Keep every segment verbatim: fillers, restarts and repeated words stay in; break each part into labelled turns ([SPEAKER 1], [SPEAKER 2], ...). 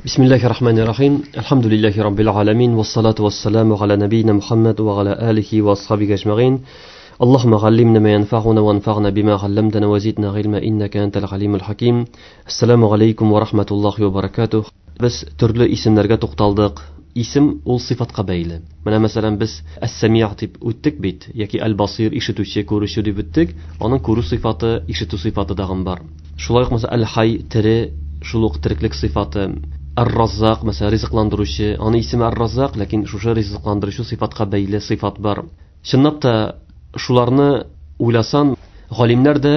[SPEAKER 1] Бисмиллахи рахмани рахим. Әлхәмдүлилләһи раббил аламин. Вассалату вассаламу аля набийна Мухаммад ва аля алихи ва асхабихи ажмаин. Аллаһумма галлимна ма янфа'уна ва анфa'на бима галламтана ва зидна гыйльма иннака антал галимул хаким. Ассаламу алейкум ва рахматуллахи ва баракатух. Без төрле исемнәргә тукталдык. Исем ул сыйфатка бәйле. Менә мәсәлән без әс-сәми' дип үттек бит, яки әл-басир ишетүче, күрүче дип үттек. Аның күрү сыйфаты, ишетү сыйфаты дагын бар. Шулай ук мәсәлән әл-хай тере, шул ук тереклек сыйфаты. Ар-Раззак, мәсәлән, ризыкландыручы, аның исеме Ар-Раззак, ләкин шушы ризыкландыручы сыйфатка бәйле сыйфат бар. Чынлап та шуларны уйласан, галимнәр дә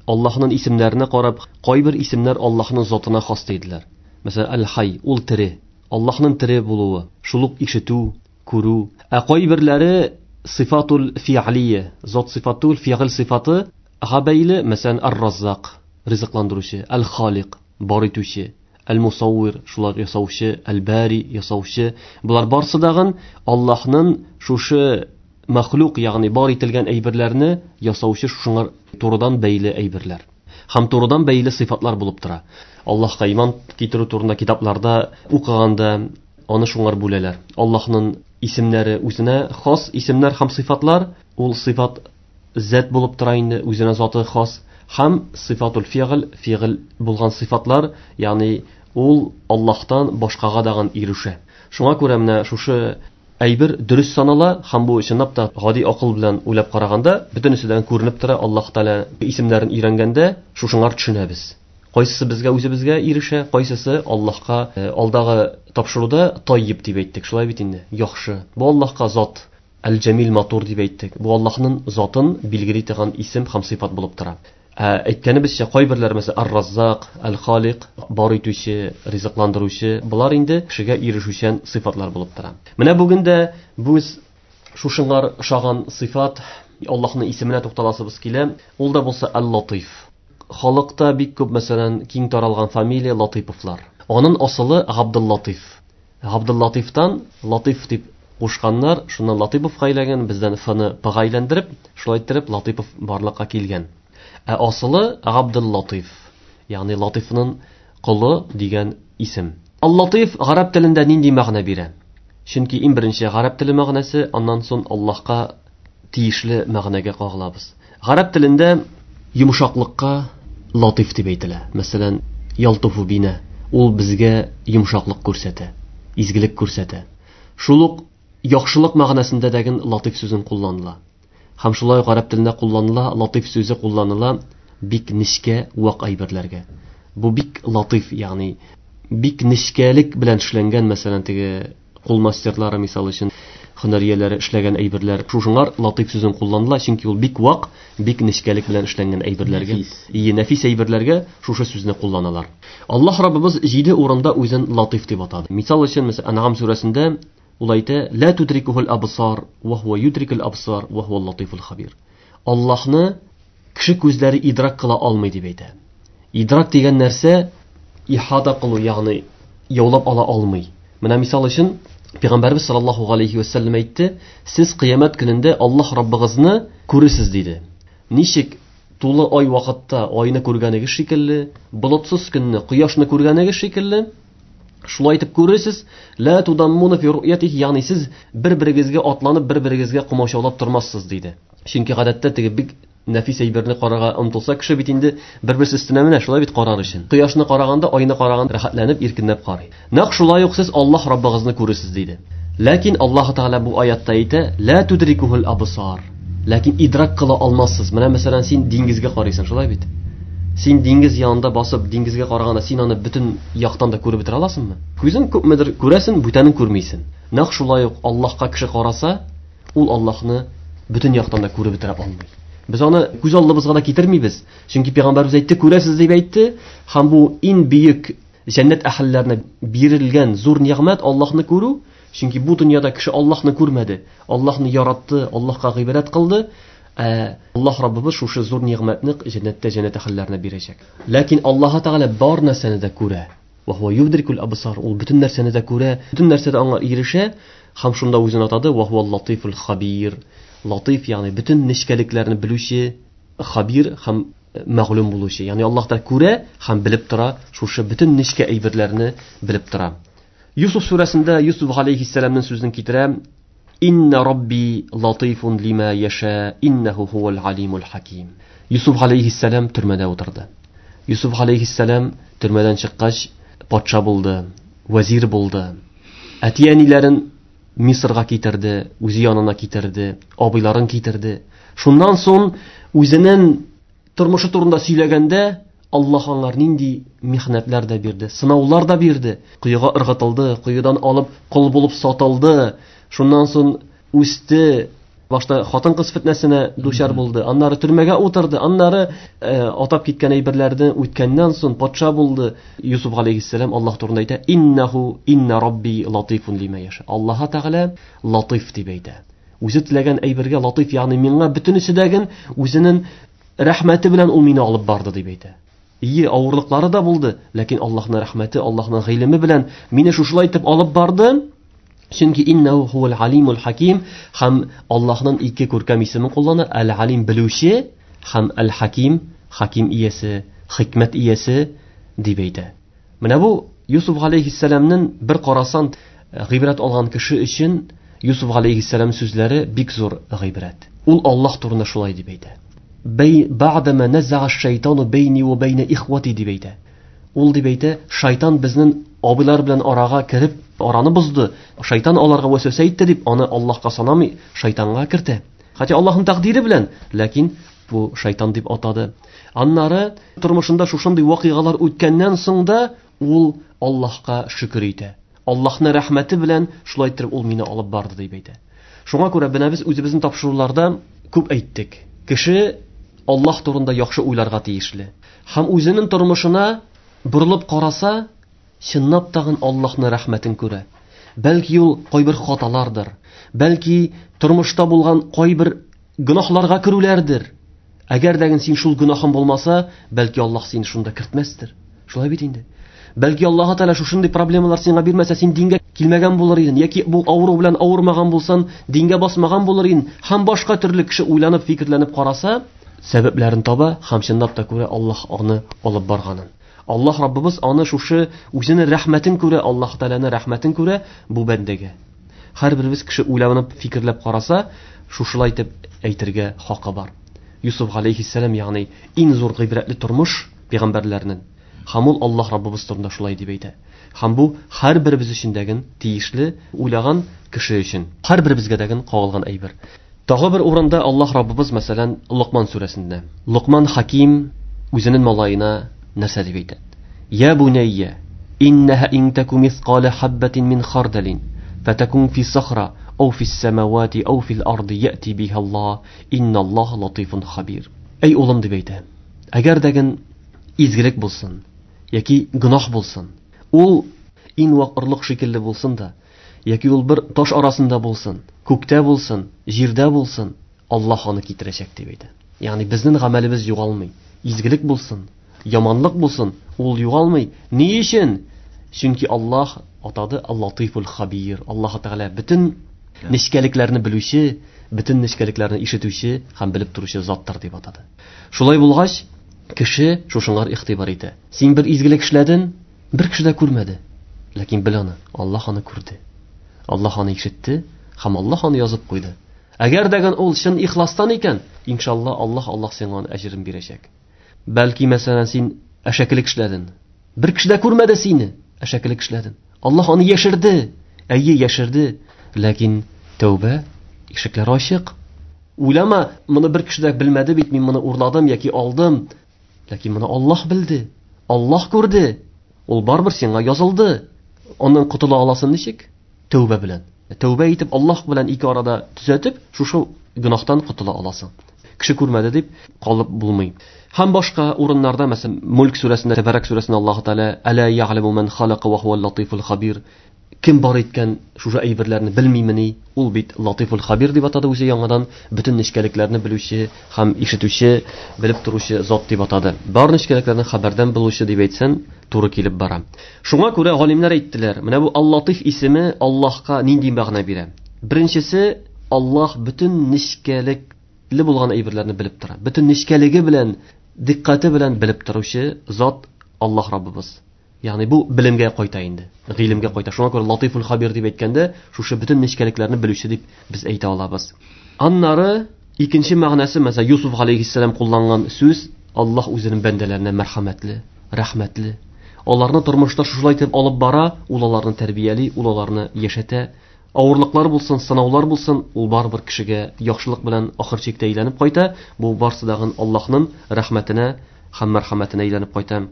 [SPEAKER 1] Аллаһның исемнәренә карап, кайбер исемнәр Аллаһның затына хас диделәр. Мәсәлән, Әл-Хай, ул тере, Аллаһның тере булуы, шул ук ишетү, күрү. Ә кайберләре сыйфатул фи'лия, зат сыйфатул фи'л сыйфаты га бәйле, мәсәлән, Ар-Раззак, ризыкландыручы, Әл-Халик, бар итүче, Әл-Мусаввир, шулар ясаучы, Әл-Бари, ясаучы. Булар барсы дагын Аллаһның шушы мәхлук, ягъни бар ителгән әйберләрне ясаучы, шуңар турыдан бәйле әйберләр. Һәм турыдан бәйле сыйфатлар булып тора. Аллаһка иман китерү турында китапларда укыганда аны шуңар бүләләр. Аллаһның исемнәре үзенә хас исемнәр һәм сыйфатлар, ул сыйфат зат булып тора инде, үзенә заты хас, һәм сыйфатул фигъл, фигъл булган сыйфатлар, ягъни ул Аллаһтан башкага дагын ирешә. Шуңа күрә менә шушы әйбер дөрес санала, һәм бу чынлап та гади акыл белән уйлап караганда бөтенеседән күренеп тора. Аллаһ Тәгалә исемнәрен өйрәнгәндә шушыңар төшенәбез. Кайсысы безгә үзебезгә ирешә, кайсысы Аллаһка. Алдагы тапшыруда таййиб дип әйттек, шулай бит инде. Яхшы. Бу Аллаһка зат, әл-Җәмил матур дип әйттек. Бу Аллаһның затын билгели торган исем һәм сыйфат булып тора. Ә әйткәнебезчә, кайберләр мәсәлән Ар-Раззак, Әл-Халик, бар итүче, ризыкландыручы, болар инде кешегә ирешүчән сыйфатлар булып тора. Менә бүген дә без шушыңар ошаган сыйфат, Аллаһның исеменә тукталасыбыз килә. Ул да булса Әл-Латыйф. Халыкта бик күп, мәсәлән, киң таралган фамилия Латыйповлар. Аның асылы Габдуллатыйф. Габдуллатыйфтан Латыйф дип кушканнар, шуннан Латыйповка әйләнгән, бездән Ф-ны П-га әйләндереп, шулай иттереп Латыйпов барлыкка килгән. Ә асылы Габдуллатыйф, ягъни Латыйфның колы дигән исем. Аллатыйф гарәп телендә нинди мәгънә бирә? Чөнки иң беренче гарәп теле мәгънәсе, аннан соң Аллаһка тиешле мәгънәгә кагылабыз. Гарәп телендә йомшаклыкка латыйф дип әйтелә. Мәсәлән, ялтуфу бина, ул безгә йомшаклык күрсәтә, изгелек күрсәтә. Шул ук яхшылык мәгънәсендә дәген латыйф сүзен кулланыла. Һәм шулай гарәп телендә кулланыла, латыйф сүзе кулланыла бик нечкә вак әйберләргә. Бу бик латыйф, ягъни бик нечкәлек белән эшләнгән, мәсәлән, теге кул мастерлары мисал өчен һөнәр ияләре эшләгән әйберләр. Шушыңар латыйф сүзен кулланыла, чөнки ул бик вак, бик нечкәлек белән эшләнгән әйберләргә, ие, нәфис әйберләргә шушы сүзне кулланалар. Аллаһ Раббыбыз җиде урында үзен латыйф дип атады. Мисал өчен, мәсәлән, Ан'ам сүрәсендә ул әйтә: "Ла тудрикухул абсар ва хуа юдрикул абсар ва хуал латыйфул хабир." Аллаһны кеше күзләре идрак кыла алмый дип әйтә. Идрак дигән нәрсә ихата кылу, ягъни яулап ала алмый. Менә мисал өчен Пәйгамбәрбез саллаллаһу алейхи ва саллям әйтте: "Сез кыямәт көнендә Аллаһ Раббыгызны күрерсез" диде. Ничек тулы ай вакытта айны күргәнегез шикелле, болытсыз көнне кояшны күргәнегез шикелле, шулай итеп күрерсез. Ла тудаммуна фи ру'ятихи, ягъни сез бер-берегезгә атланып, бер-берегезгә комачаулап тормассыз диде. Чөнки гадәттә теге бик нәфис әйберне карарга омтылса кеше бит инде бер-берсе өстенә менә шулай бит карар өчен. Кояшны караганда, айны караганда рәхәтләнеп, иркенләп карый. Нәкъ шулай ук сез Аллаһ Раббыгызны күрерсез диде. Ләкин Аллаһ Тәгалә бу аятта әйтә: "Ла тудрикухул абсар." Ләкин идрак кыла алмассыз. Менә мәсәлән, син диңгезгә карыйсың, шулай бит? Син диңгез янында басып, диңгезгә караганда син аны бөтен яктан да күреп бетерә аласыңмы? Күзең күпмедер күрәсең, бүтәнен күрмисең. Нәкъ шулай ук Аллаһка кеше караса, ул Аллаһны бөтен яктан да күреп бетерә алмый. Без аны күз алдыбызга да китермибез. Чөнки Пәйгамбәрбез әйтте, күрәсез дип әйтте, һәм бу иң бөек җәннәт әһелләренә бирелгән зур нигъмәт Аллаһны күрү. Чөнки бу дөньяда кеше Аллаһны күрмәде, Аллаһны яратты, Аллаһка гыйбадәт кылды. Ә Аллаһ Раббыбыз шушы зур нигъмәтне җәннәттә җәннәт әһелләренә бирәчәк. Ләкин Аллаһ Тәгалә бар нәрсәне дә күрә. Ва хуа юдрикул абсар, ул бөтен нәрсәне дә күрә, бөтен нәрсәдә аңа ирешә, һәм шунда үзен атады: ва хуа латифул хабир. Латиф, ягъни бөтен нечкәлекләрне белүче, хабир һәм мәгълүм булучы. Ягъни Аллаһ та күрә һәм белеп тора, шушы бөтен нечкә әйберләрне белеп тора. Юсуф сүрәсендә Юсуф алейхиссәламның сүзен китерә: Инна Рабби латифун лима яша, иннаху хувал алимул хаким. Юсуф алейхиссәлам төрмәдә утырды. Юсуф алейхиссәлам төрмәдән чыккач патша булды, вәзир булды. Әти-әниләрен Мисырга китерде, үзе янына китерде, абыйларын китерде. Шуннан соң үзенең тормышы турында сөйләгәндә Аллаһ аңар нинди михнәтләр дә бирде, сынаулар да бирде. Коега ыргытылды, коедан алып кол булып сатылды. Шуннан соң үсте, башта хатын-кыз фитнәсенә дучар булды, аннары төрмәгә утырды, аннары э, атап киткән әйберләрне үткәннән соң патша булды. Юсуф алейхиссәлам Аллаһ турында әйтә: Иннаху инна Рабби латифун лима яша. Аллаһ Тәгалә латиф дип әйтә. Үзе теләгән әйбергә латиф, ягъни миңа бөтенесе дәген үзенең рәхмәте белән ул мине алып барды дип әйтә. Ие, авырлыклары да булды, ләкин Аллаһның рәхмәте, Аллаһның гыйлеме белән мине шушылай итеп алып барды. Чөнки иннаху хувал алимул хаким, һәм Аллаһның ике күркәм исемен куллана: Әл-Алим белүче һәм Әл-Хаким, хаким иясе, хикмәт иясе дип әйтә. Менә бу Юсуф алейхиссәламның бер карасан гыйбрәт алган кеше өчен Юсуф алейхиссәлам сүзләре бик зур гыйбрәт. Ул Аллаһ турында шулай дип әйтә: Бәй бa'дама наза'a ash-shaytanu bayni wa bayna ikhwati дип әйтә. Ул дип әйтә, шайтан безнең абыйлар белән арага кереп араны бозды. Шайтан аларга вәсвәсә итте дип аны Аллаһка санамый, шайтанга кертә. Хәтта Аллаһның тәкъдире белән, ләкин бу шайтан дип атады. Аннары тормышында шушындый вакыйгалар үткәннән соң да ул Аллаһка шөкер итә. Аллаһның рәхмәте белән шулай итеп ул мине алып барды дип әйтә. Шуңа күрә менә без үзебезнең тапшыруларда күп әйттек. Кеше Аллаһ турында яхшы уйларга тиешле. Һәм үзенең тормышына борылып караса, чынлап тагын Аллаһның рәхмәтен күрә. Бәлки ул кайбер хаталардыр, бәлки тормышта булган кайбер гөнаһларга керүләрдер. Әгәр дә син шул гөнаһың булмаса, бәлки Аллаһ сине шунда кертмәстер. Шулай бит инде. Бәлки Аллаһ Тәгалә шушындый проблемалар сиңа бирмәсә, син дингә килмәгән булыр идең, яки бу авыру белән авырмаган булсаң, дингә басмаган булыр идең. Һәм башка төрле кеше уйланып, фикерләнеп караса, сәбәпләрен таба һәм чынлап та күрә Аллаһ аны алып барганын. Аллаһ Раббыбыз аны шушы үзенең рәхмәтен күрә, Аллаһ Тәгаләнең рәхмәтен күрә бу бәндәгә. Һәрберебез кеше уйланып, фикерләп караса, шушылай итеп әйтергә хакы бар. Юсуф алейхиссәлам, ягъни иң зур гыйбрәтле тормыш пәйгамбәрләрнең. Һәм ул Аллаһ Раббыбыз турында шулай дип әйтә. Һәм бу һәрберебез өчен дәген тиешле уйлаган кеше өчен, һәрберебезгә дәген кагылган әйбер. Тагы бер урында Аллаһ Раббыбыз, мәсәлән, Лукман сүрәсендә. Лукман хаким үзенең малаена нәрсә дип әйтә? Я бунайя, иннаһа ин таку мисқала хаббатин мин хардалин, фатакун фи сахра ау фис самавати ау фил арди яти биха Аллаһ, инналлаһа латифун хабир. Әй улым дип әйтә. Әгәр дәген изгелек булсын яки гөнаһ булсын, ул иң вак орлык шикелле булсын да, яки ул бер таш арасында булсын, күктә булсын, җирдә булсын, Аллаһ аны китерәчәк дип әйтә. Ягъни безнең гамәлебез югалмый. Изгелек булсын, яманлык булсын, ул югалмый. Ни өчен? Чөнки Аллаһ атады Аллатифул хабир. Аллаһ Тәгалә бөтен нечкәлекләрне белүче, бөтен нечкәлекләрне ишетүче һәм белеп торучы заттыр дип атады. Шулай булгач, кеше шушыңар игътибар итә. Син бер изгелек эшләдең, бер кеше дә күрмәде. Ләкин бел аны, Аллаһ аны күрде. Аллаһ аны ишетте һәм Аллаһ аны язып куйды. Әгәр дәген ул чын ихластан икән, иншалла Аллаһ Аллаһ сиңа аны әҗерен бирәчәк. Бәлки мәсәлән син әшәкелек эшләдең. Бер кеше дә күрмәде сине, әшәкелек эшләдең. Аллаһ аны яшерде. Әйе, яшерде. Ләкин тәүбә ишекләре ачык. Уйлама, моны бер кеше дә белмәде бит, мин моны урладым яки алдым. Ләкин моны Аллаһ белде. Аллаһ күрде. Ул барыбер сиңа язылды. Аннан котыла аласың ничек? Тәүбә белән. Тәүбә итеп Аллаһ белән ике арада төзәтеп, шушы гөнаһтан котыла аласың. Кеше күрмәде дип калып булмый. Һәм башка урыннарда, мәсәлән, Мулк сүрәсендә, Тәбәрәк сүрәсендә Аллаһ Тәгалә Әла я'ламу ман халака ва хувал латифул хабир. Кем бар иткән шушы әйберләрне белмимени? Ул бит латифул хабир дип атады үзе яңадан, бөтен нечкәлекләрне белүче һәм ишетүче, белеп торучы зат дип атады. Бар нечкәлекләрне хәбәрдән белүче дип әйтсән, туры килеп бара. Шуңа күрә галимнәр әйттеләр, менә бу Аллатиф исеме Аллаһка нинди мәгънә бирә? Беренчесе, Аллаһ бөтен нечкәлекле булган әйберләрне белеп тора. Бөтен нечкәлеге белән Диққәте белән белеп торучы зат Аллаһ Раббыбыз. Ягъни бу белемгә кайта инде, гыйлемгә кайта. Шуңа күрә Латифул Хабир дип әйткәндә, шушы бөтен нечкәлекләрне белүче дип без әйтә алабыз. Аннары икенче мәгънәсе, мәсәлән, Юсуф алейһиссәлам кулланган сүз, Аллаһ үзенең бәндәләренә мәрхәмәтле, рәхмәтле. Аларны тормышта шушылай итеп алып бара, ул аларны тәрбияли, ул аларны яшәтә. Авырлыклар булсын, сынаулар булсын, ул барыбер кешегә яхшылык белән ахыр чиктә әйләнеп кайта. Бу барсы дагын Аллаһның рәхмәтенә һәм мәрхәмәтенә әйләнеп кайта.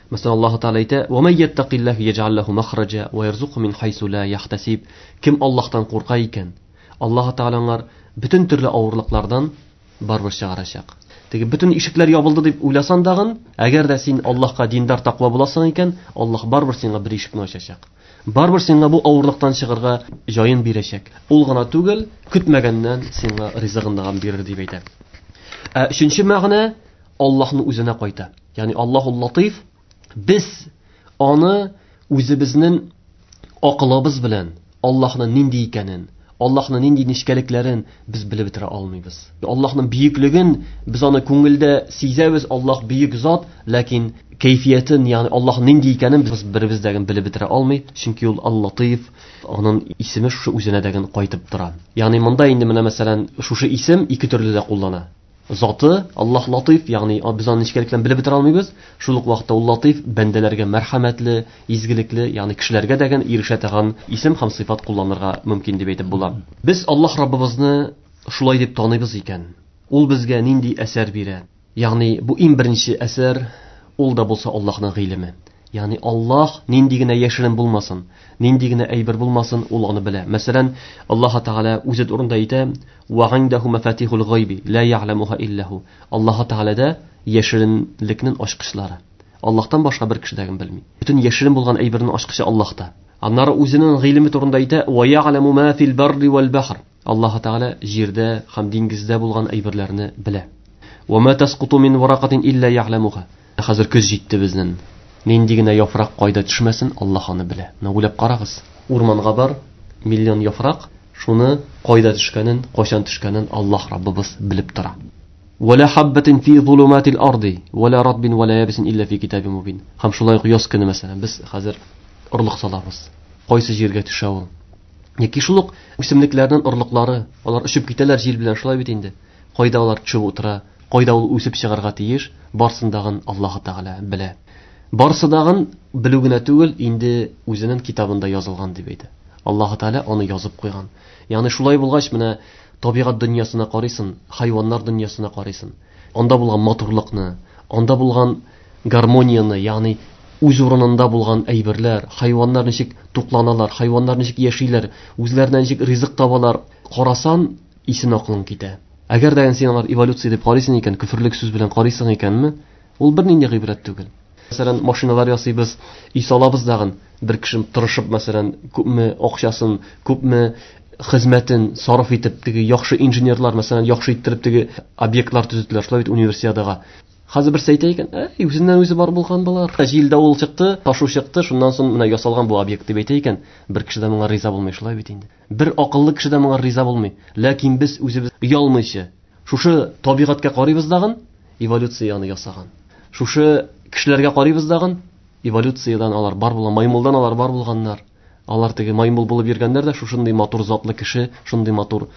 [SPEAKER 1] Мәсәлән, Аллаһ Тәгалә әйтә: "Ва ман яттакиллаһ яҗ'ал лаху махраҗа ва ярзукһу мин хайсу ла яхтасиб". Кем Аллаһтан курка икән, Аллаһ Тәгалә аңар бөтен төрле авырлыклардан барыбер чыгарачак. Теге бөтен ишекләр ябылды дип уйласан дагын, әгәр дә син Аллаһка диндар тәкъва буласың икән, Аллаһ барыбер сиңа бер ишекне ачачак. Барыбер сиңа бу авырлыктан чыгарга җаен бирәчәк. Ул гына түгел, көтмәгәннән сиңа ризыгын да бирер дип әйтә. Ә өченче мәгънә Аллаһның үзенә кайта. Ягъни Аллаһул Латиф, без аны үзебезнең акылыбыз белән Аллаһның нинди икәнен, Аллаһның нинди нечкәлекләрен без белеп бетерә алмыйбыз. Аллаһның бөеклеген без аны күңелдә сизәбез, Аллаһ бөек зат, ләкин кәйфиятен, ягъни Аллаһ нинди икәнен без беребез дә белеп бетерә алмый, чөнки ул Ал-Латиф, аның исеме шушы үзенә дә кайтып тора. Ягъни монда инде менә мәсәлән шушы исем ике төрле дә куллана. Заты Аллаһ Латиф, ягъни без аны нечкәлекләрен белеп бетерә алмыйбыз. Шул ук вакытта ул Латиф бәндәләргә мәрхәмәтле, изгелекле, ягъни кешеләргә дә ирешә торган исем һәм сыйфат кулланырга мөмкин дип әйтеп була. Без Аллаһ Раббыбызны шулай дип таныйбыз икән, ул безгә нинди әсәр бирә? Ягъни бу иң беренче әсәр, ул да булса Аллаһның гыйлеме. Ягъни Аллаһ нинди генә яшерен булмасын, нинди генә әйбер булмасын, ул аны белә. Мәсәлән, Аллаһ Тәгалә үзе турында әйтә: "Ва индаху мафатихул гайби ла я'ламуха илля ху". Аллаһ Тәгаләдә яшеренлекнең ачкычлары. Аллаһтан башка бер кеше дә белми. Бөтен яшерен булган әйбернең ачкычы Аллаһта. Аннары үзенең гыйлеме турында әйтә: "Ва я'ламу ма фил барри вал бахр". Аллаһ Тәгалә җирдә һәм диңгездә булган әйберләрне белә. "Ва ма тасқуту мин варақатин илля я'ламуха". Хәзер көз җитте безнең. Нинди генә яфрак кайда төшмәсен, Аллаһ аны белә. Менә уйлап карагыз. Урманга бар, миллион яфрак, шуны кайда төшкәнен, кайчан төшкәнен Аллаһ Раббыбыз белеп тора. Вала хаббатин фи зулуматил арди, вала ратбин вала ябисин илля фи китабин мубин. Һәм шулай ук яз көне мәсәлән, без хәзер орлык салабыз. Кайсы җиргә төшә ул? Яки шул ук үсемлекләрнең орлыклары, алар очып китәләр җил белән, шулай бит инде. Кайда алар төшеп утыра, кайда ул үсеп чыгарга тиеш, барсын дагын Аллаһ Тәгалә белә. Барсы дагын белү генә түгел, инде үзенең китабында язылган дип әйтә. Аллаһ Тәгалә аны язып куйган. Ягъни шулай булгач, менә табигать дөньясына карыйсың, хайваннар дөньясына карыйсың. Анда булган матурлыкны, анда булган гармонияне, ягъни үз урынында булган әйберләр, хайваннар ничек тукланалар, хайваннар ничек яшиләр, үзләренә ничек ризык табалар, карасан, исен акылың китә. Әгәр дә син алар эволюция дип карыйсың икән, көферлек сүз белән карыйсың икәнме, ул бернинди гыйбрәт түгел. Мәсәлән, машиналар ясыйбыз, өй салабыз дагын, бер кеше тырышып, мәсәлән, күпме акчасын, күпме хезмәтен сарыф итеп, теге яхшы инженерлар, мәсәлән, яхшы иттереп теге объектлар төзеделәр, шулай бит универсиадага. Хәзер берсе әйтә икән, әй, үзеннән үзе бар булган болар. Җил давыл чыкты, ташу чыкты, шуннан соң менә ясалган бу объект дип әйтә икән, бер кеше дә моңа риза булмый, шулай бит инде. Бер акыллы кеше дә моңа риза булмый. Ләкин без үзебез оялмыйча шушы табигатькә карыйбыз дагын, эволюцияне ясаган. Шушы кешеләргә карыйбыз дагын, эволюциядән алар бар булган, маймылдан алар бар булганнар. Алар теге маймыл булып йөргәннәр дә шушындый матур затлы кеше, шундый матур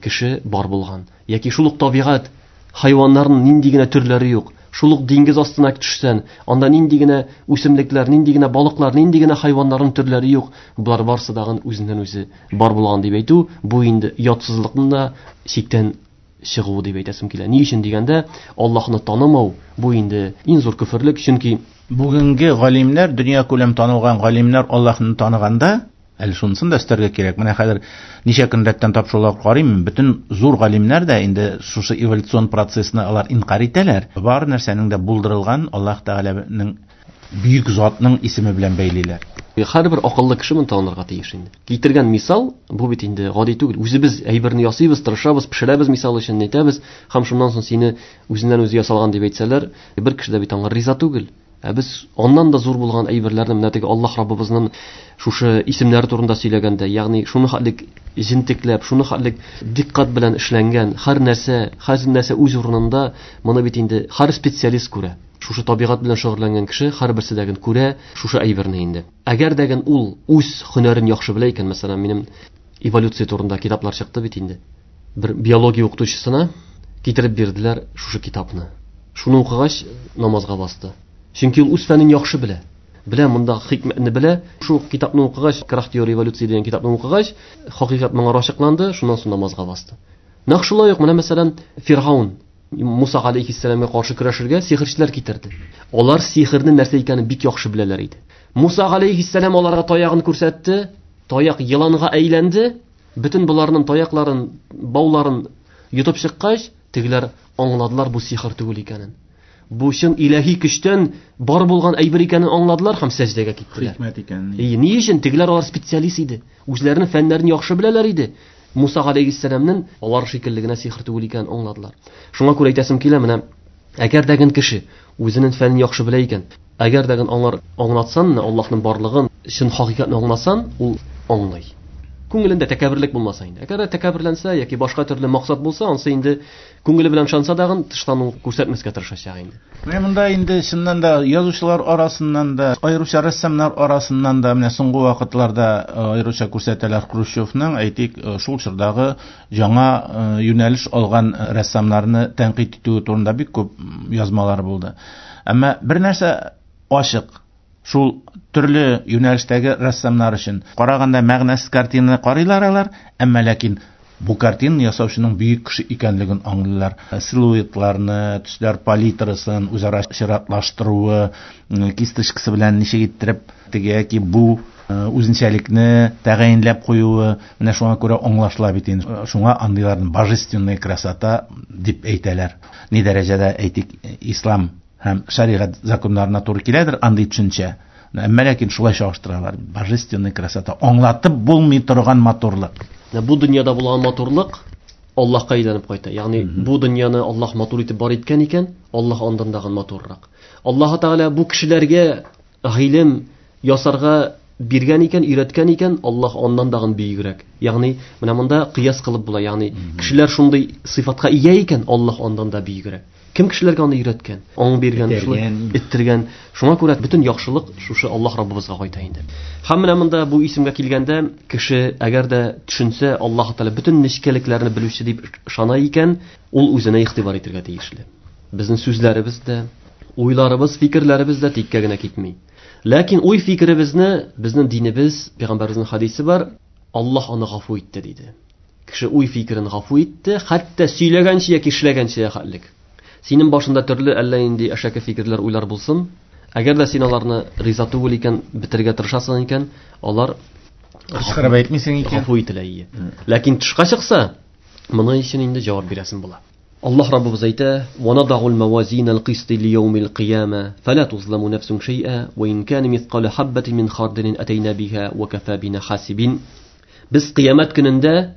[SPEAKER 1] кеше бар булган. Яки шул ук табигать, хайваннарның нинди генә төрләре юк. Шул ук диңгез астына төшсән, анда нинди генә үсемлекләр, нинди генә балыклар, нинди генә хайваннарның төрләре юк. Болар барсы дагын үзеннән үзе бар булган дип әйтү, бу инде ятсызлыкның да чиктән чыгуы дип әйтәсем килә. Ни өчен дигәндә, Аллаһны танымау бу инде иң зур көферлек, чөнки
[SPEAKER 2] бүгенге галимнәр, дөнья күләм танылган галимнәр Аллаһны таныганда, әле шунысын да өстәргә кирәк. Менә хәзер ничә көн рәттән тапшырулар карыйм, бөтен зур галимнәр дә инде шушы эволюцион процессны алар инкар итәләр. Бар нәрсәнең дә булдырылган Аллаһ Тәгаләнең бөек затның исеме белән бәйлиләр.
[SPEAKER 1] Һәрбер акыллы кеше моны танырга тиеш инде. Китергән мисал бу бит инде гади түгел. Үзебез әйберне ясыйбыз, тырышабыз, пешерәбез, мисал өчен әйтәбез, һәм шуннан соң сине үзеннән үзе ясалган дип әйтсәләр, бер кеше дә бит аңа риза түгел. Ә без аннан да зур булган әйберләрне, менә теге Аллаһ Раббыбызның шушы исемнәре турында сөйләгәндә, ягъни шуны хәтлек җентекләп, шуны хәтлек диккать белән эшләнгән, һәр нәрсә, һәр нәрсә үз урынында, моны бит инде һәр специалист күрә. Шушы табигать белән шөгыльләнгән кеше һәрберсе дә күрә шушы әйберне инде. Әгәр дә ул үз һөнәрен яхшы белә икән, мәсәлән, минем эволюция турында китаплар чыкты бит инде. Бер биология укытучысына китереп бирделәр шушы китапны. Шуны укыгач намазга басты. Чөнки ул үз фәнен яхшы белә. Белә, монда хикмәтне белә. Шу китапны укыгач, Крах теория эволюции дигән китапны укыгач, хакыйкать моңа ачыкланды, шуннан соң намазга басты. Нәкъ шулай ук менә мәсәлән Фиргаун Муса алейхиссәламгә каршы көрәшергә сихерчеләр китерде. Алар сихернең нәрсә икәнен бик яхшы беләләр иде. Муса алейхиссәлам аларга таягын күрсәтте, таяк еланга әйләнде. Бөтен буларның таякларын, бауларын йотып чыккач, тегеләр аңладылар бу сихер түгел икәнен. Бу чын илаһи көчтән бар булган әйбер икәнен аңладылар һәм сәҗдәгә киттеләр.
[SPEAKER 2] Хикмәт икәнен.
[SPEAKER 1] Ни өчен? Тегеләр алар специалист иде. Үзләренең фәннәрен яхшы беләләр иде. Муса алейхиссәламнең алар шикелле генә сихер түгел икәнен аңладылар. Шуңа күрә әйтәсем килә, менә әгәр дә кеше үзенең фәнен яхшы белә икән, әгәр дә аңлар аңлатсан, Аллаһның барлыгын, чын хакыйкатьне аңласан, ул аңлый. Күңелендә тәкәбберлек булмаса инде. Әгәр дә тәкәбберләнсә яки башка төрле максат булса, ансы инде күңеле белән ышанса дагын тыштан ул күрсәтмәскә тырышачак инде.
[SPEAKER 2] Менә монда инде чыннан да язучылар арасыннан да, аеруча рәссамнар арасыннан да менә соңгы вакытларда аеруча күрсәтәләр Хрущевның, әйтик, шул чордагы яңа юнәлеш алган рәссамнарны тәнкыйть итүе турында бик күп язмалар булды. Әмма бер нәрсә ачык, шул төрле юнәлештәге рәссамнар өчен караганда мәгънәсез картинаны карыйлар алар, әмма ләкин бу картинаны ясаучының бөек кеше икәнлеген аңлыйлар. Силуэтларны, төсләр палитрасын үзара чиратлаштыруы, кисточкасы белән ничек иттереп теге яки бу үзенчәлекне тәгаенләп куюы, менә шуңа күрә аңлашыла бит инде. Шуңа андыйларны божественная красота дип әйтәләр. Ни дәрәҗәдә, әйтик, ислам һәм шәригать законнарына туры киләдер андый төшенчә. Әмма ләкин шулай чагыштыралар. Божественная красота, аңлатып булмый торган матурлык.
[SPEAKER 1] Бу дөньяда булган матурлык Аллаһка әйләнеп кайта. Ягъни бу дөньяны Аллаһ матур итеп бар иткән икән, Аллаһ андан дагы матуррак. Аллаһ Тәгалә бу кешеләргә гыйлем ясарга биргән икән, өйрәткән икән, Аллаһ аннан дагы бөегрәк. Ягъни менә монда кыяс кылып була. Ягъни кешеләр шундый сыйфатка ия икән, Аллаһ аннан да бөегрәк. Кем кешеләргә аны өйрәткән, аң биргән, шулай иттергән. Шуңа күрә бөтен яхшылык шушы Аллаһ Раббыбызга кайта инде. Һәм менә монда бу исемгә килгәндә, кеше әгәр дә төшенсә, Аллаһ Тәгалә бөтен нечкәлекләрне белүче дип ышана икән, ул үзенә игътибар итәргә тиешле. Безнең сүзләребез дә, уйларыбыз, фикерләребез дә тиккә генә китми. Ләкин уй фикеребезне безнең динебез, пәйгамбәребезнең хадисе бар, Аллаһ аны гафу итте диде. Кеше уй фикерен гафу итте, хәтта сөйләгәнче яки эшләгәнче хәтлек. Синең башында төрле әллә нинди әшәке фикерләр, уйлар булсын, әгәр дә син аларны риза түгел икән, бетерергә тырышасың икән, алар
[SPEAKER 2] кычкырып әйтмисең икән,
[SPEAKER 1] гафу ителә ие. Ләкин тышка чыкса, моның өчен инде җавап бирәсең була. Аллаһ Раббыбыз әйтә: "Ва надагул мавазинал кисти лияумил кыяма, фала тузламу нафсун шай'a, ва ин кана мисқала хаббатин мин хардалин атайна биха ва кафа бина хасибин." Без кыямәт көнендә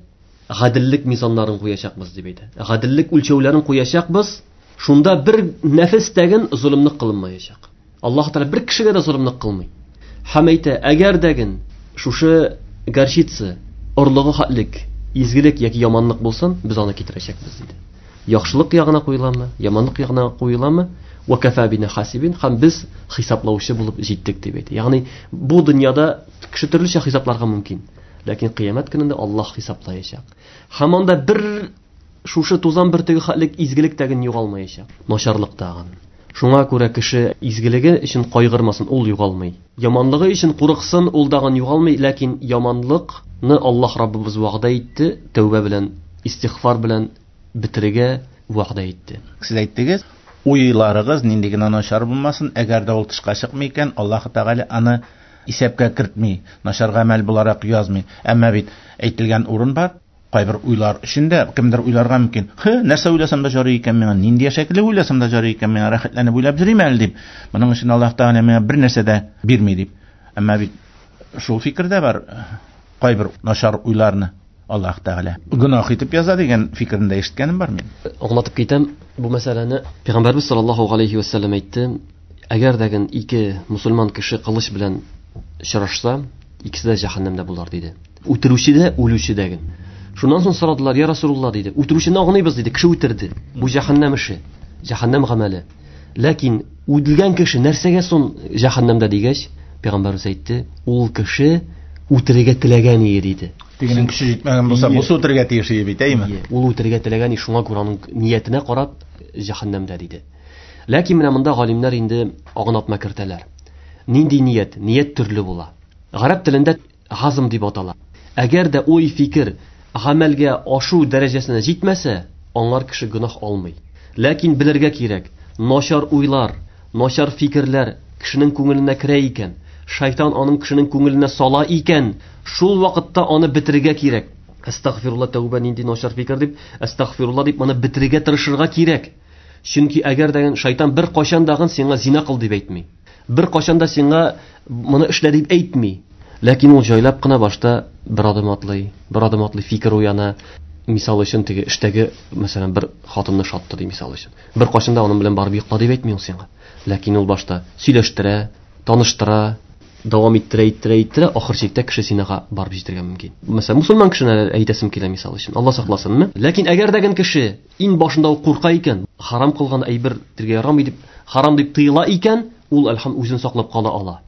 [SPEAKER 1] гаделлек мизаннарын куячакбыз дип әйтә. Гаделлек үлчәүләрен куячакбыз. Шунда бер нәфес тәген золымлык кылынмаячак. Аллаһ Тәгалә бер кешегә дә золымлык кылмый. Һәм әйтә, әгәр дәген шушы горчица орлыгы хатлык, изгелек яки яманлык булсын, без аны китерәчәкбез диде. Яхшылык ягына куеламы, яманлык ягына куеламы? Ва кафа бина хасибин, һәм без хисаплаучы булып җиттек дип әйтә. Ягъни бу дөньяда кеше төрлечә хисапларга мөмкин, ләкин кыямәт көнендә Аллаһ хисаплаячак. Һәм анда бер шушы тузан бөртеге хатлык изгелек тәген югалмаячак, начарлык тагын. Шуңа күрә кеше изгелеге өчен кайгырмасын, ул югалмый. Яманлыгы өчен курыксын, ул дагын югалмый, ләкин яманлыкны Аллаһ Раббыбыз вәгъдә итте, тәүбә белән, истигъфар белән бетерергә вәгъдә итте.
[SPEAKER 2] Сез әйттегез, уйларыгыз нинди генә начар булмасын, әгәр дә ул тышка чыкмый икән, Аллаһ Тәгалә аны исәпкә кертми, начар гамәл буларак язмый. Әмма бит әйтелгән урын бар. Кайбер уйлар өчен дә кемдер уйларга мөмкин. Хе, нәрсә уйласам да жарый икән миңа, нинди шәкле уйласам да жарый икән миңа, рәхәтләнеп уйлап йөрим әле дип. Моның өчен Аллаһ Тәгалә миңа бер нәрсә дә бирми дип. Әмма бит шул фикер дә бар. Кайбер начар уйларны Аллаһ Тәгалә гөнаһ итеп яза дигән фикерне дә ишеткәнем бар мин.
[SPEAKER 1] Аңлатып китәм бу мәсьәләне. Пәйгамбәрбез саллаллаһу алейхи ва саллям әйтте, әгәр дә ике мусульман кеше кылыч белән очрашса, икесе дә җәһәннәмдә булар диде. Үтерүче дә, үлүче дә. Шуннан соң сорадылар, я Расулулла диде. Үтерүчене аңлыйбыз диде, кеше үтерде. Бу җәһәннәм эше, җәһәннәм гамәле. Ләкин үтелгән кеше нәрсәгә соң җәһәннәмдә дигәч, пәйгамбәрбез әйтте, ул кеше үтерергә теләгән иде диде.
[SPEAKER 2] Тегенең көче җитмәгән булса, бусы үтерергә тиеш иде бит, әйме?
[SPEAKER 1] Ул үтерергә теләгән, шуңа күрә аның ниятенә карап җәһәннәмдә диде. Ләкин менә монда галимнәр инде аңлатма кертәләр. Нинди ният? Ният төрле була. Гарәп телендә газм дип атала. Әгәр дә уй фикер гамәлгә ашу дәрәҗәсенә җитмәсә, аңар кеше гөнаһ алмый. Ләкин белергә кирәк, начар уйлар, начар фикерләр кешенең күңеленә керә икән, шайтан аның кешенең күңеленә сала икән, шул вакытта аны бетерергә кирәк. Әстәгъфирулла, тәүбә, нинди начар фикер дип, әстәгъфирулла дип моны бетерергә тырышырга кирәк. Чөнки әгәр дә шайтан бер кайчан дагын сиңа зина кыл дип әйтми. Бер кайчан да сиңа моны эшлә дип әйтми. Ләкин ул җайлап кына башта бер адым атлый, бер адым атлый фикер уяна. Мисал өчен теге эштәге, мәсәлән, бер хатынны шатты ди мисал өчен. Бер кайчан да аның белән барып йокла дип әйтми ул сиңа. Ләкин ул башта сөйләштерә, таныштыра, дәвам иттерә, иттерә, иттерә, ахыр чиктә кеше зинага барып җитәргә мөмкин. Мәсәлән, мусульман кешене әйтәсем килә мисал өчен. Алла сакласынмы? Ләкин әгәр дә кеше иң башында ук курка икән, харам кылган әйбер тиргә ярамый дип, харам дип тыела икән, ул әлхам үзен саклап кала ала.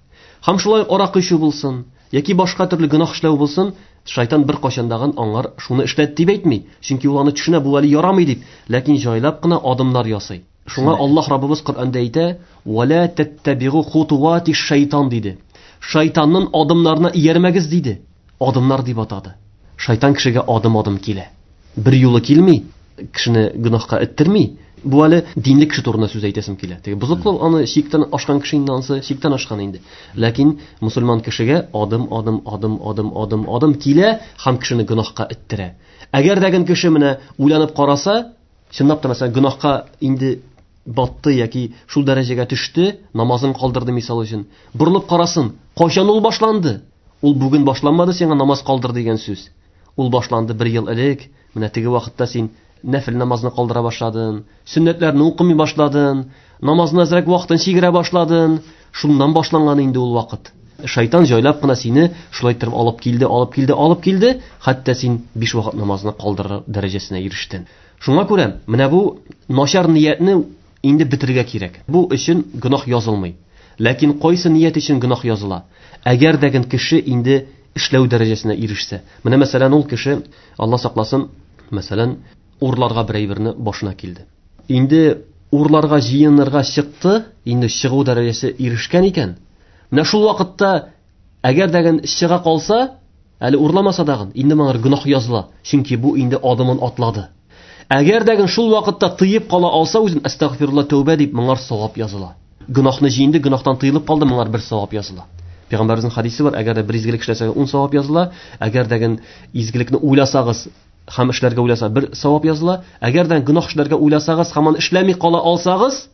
[SPEAKER 1] Һәм шулай аракы эчү булсын, яки башка төрле гөнаһ эшләү булсын, шайтан бер кайчандагын аңар шуны эшләт дип әйтми, чөнки ул аны төшенә, бу әле ярамый дип, ләкин җайлап кына адымнар ясый. Шуңа Аллаһ Раббыбыз Коръәндә әйтә: "Ва ла таттабигу хутуати шайтан" диде. Шайтанның адымнарына иярмәгез диде. Адымнар дип атады. Шайтан кешегә адым-адым килә. Бер юлы килми, кешене гөнаһка эттерми. Бу әле динле кеше турында сүз әйтәсем килә. Теге бозыклык аны чиктән ашкан кеше инде, ансы чиктән ашкан инде. Ләкин мусульман кешегә адым-адым, адым-адым, адым-адым килә һәм кешене гөнаһка эттерә. Әгәр дә кеше менә уйланып караса, чынлап та мәсәлән гөнаһка инде батты яки шул дәрәҗәгә төште, намазын калдырды мисал өчен. Борылып карасын, кайчан ул башланды? Ул бүген башланмады сиңа намаз калдыр дигән сүз. Ул башланды бер ел элек. Менә теге вакытта син нәфил намазны калдыра башладың, сөннәтләрне укымый башладың, намазны әзрәк вакытын чигерә башладың. Шуннан башланган инде ул вакыт. Шайтан җайлап кына сине шулай итеп алып килде, алып килде, алып килде, хәтта син биш вакыт намазны калдырыр дәрәҗәсенә ирештең. Шуңа күрә менә бу начар ниятне инде бетерергә кирәк. Бу өчен гөнаһ язылмый. Ләкин кайсы ният өчен гөнаһ языла? Әгәр дә кеше инде эшләү дәрәҗәсенә ирешсә. Менә мәсәлән ул кеше, Алла сакласын, мәсәлән, урларга бер әйберне башына килде. Инде урларга җыенырга чыкты, инде чыгу дәрәҗәсе ирешкән икән. Менә шул вакытта әгәр дә чыга калса, әле урламаса дагын, инде моңа гөнаһ языла, чөнки бу инде адымын атлады. Әгәр дә шул вакытта тыеп кала алса үзен, әстәгъфирулла, тәүбә дип, моңар савап языла. Гөнаһны җыенды, гөнаһтан тыелып калды, моңар бер савап языла. Пәйгамбәребезнең хадисе бар, әгәр дә бер изгелек эшләсәгез, ун савап языла, әгәр дә изгелекне уйласагыз һәм эшләргә уйласа, бер савап языла, әгәр дә гөнаһ эшләргә уйласагыз һәм аны эшләми кала алсагыз,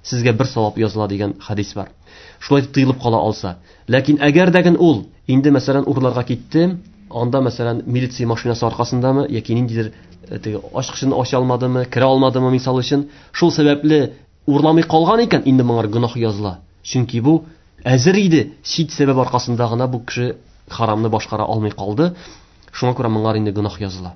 [SPEAKER 1] сезгә бер савап языла дигән хадис бар. Шулай тыелып кала алса. Ләкин әгәр дә ул инде мәсәлән урларга китте, анда мәсәлән милиция машинасы аркасындамы яки ниндидер теге ачкычын ача алмадымы, керә алмадымы мисал өчен, шул сәбәпле урламый калган икән, инде моңар гөнаһ языла. Чөнки бу әзер иде, чит сәбәп аркасында гына бу кеше харамны башкара алмый калды. Шуңа күрә моңар инде гөнаһ языла.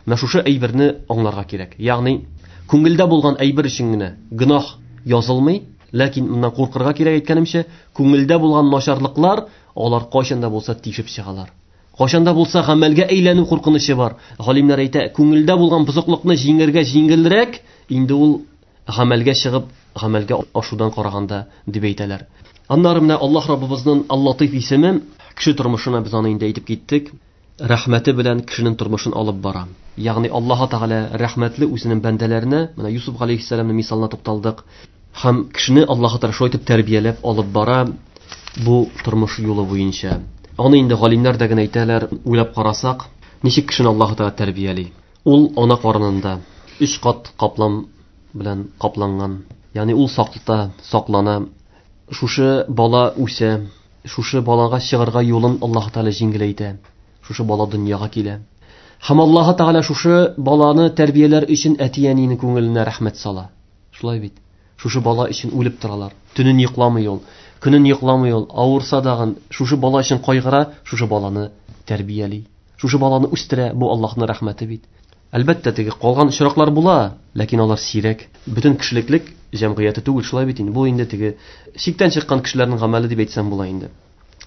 [SPEAKER 1] Менә шушы әйберне аңларга кирәк. Ягъни күңелдә булган әйбер өчен генә гөнаһ язылмый, ләкин моннан куркырга кирәк әйткәнемчә, күңелдә булган начарлыклар алар кайчан да булса тишеп чыгалар. Кайчан да булса гамәлгә әйләнү куркынычы бар. Галимнәр әйтә, күңелдә булган бозыклыкны җиңәргә җиңелрәк, инде ул гамәлгә чыгып, гамәлгә ашудан караганда дип әйтәләр. Аннары менә Аллаһ Раббыбызның Аллатыйф исеме кеше тормышына без аны инде әйтеп киттек. Рәхмәте белән кешенең тормышын алып бара. Ягъни Аллаһ Тәгалә рәхмәтле үзенең бәндәләренә, менә Юсуф галәйһиссәламның мисалына тукталдык. Һәм кешене Аллаһ Тәгалә шулай итеп тәрбияләп алып бара бу тормыш юлы буенча. Аны инде галимнәр дә генә әйтәләр, уйлап карасак, ничек кешене Аллаһ Тәгалә тәрбияли? Ул ана карынында өч кат каплам белән капланган. Ягъни ул саклата, саклана. Шушы бала үсә, шушы балага чыгарга юлын Аллаһ Тәгалә җиңеләйтә. Шушы бала дөньяга килә. Һәм Аллаһ Тәгалә шушы баланы тәрбияләр өчен әти-әнинең күңеленә рәхмәт сала. Шулай бит. Шушы бала өчен үлеп торалар. Төнен йокламый ул, көнен йокламый ул, авырса дагын шушы бала өчен кайгыра, шушы баланы тәрбияли. Шушы баланы үстерә, бу Аллаһның рәхмәте бит. Әлбәттә, теге калган очраклар була, ләкин алар сирәк. Бөтен кешелеклек җәмгыяте түгел, шулай бит инде. Бу инде теге чиктән чыккан кешеләрнең гамәле дип әйтсәм була инде.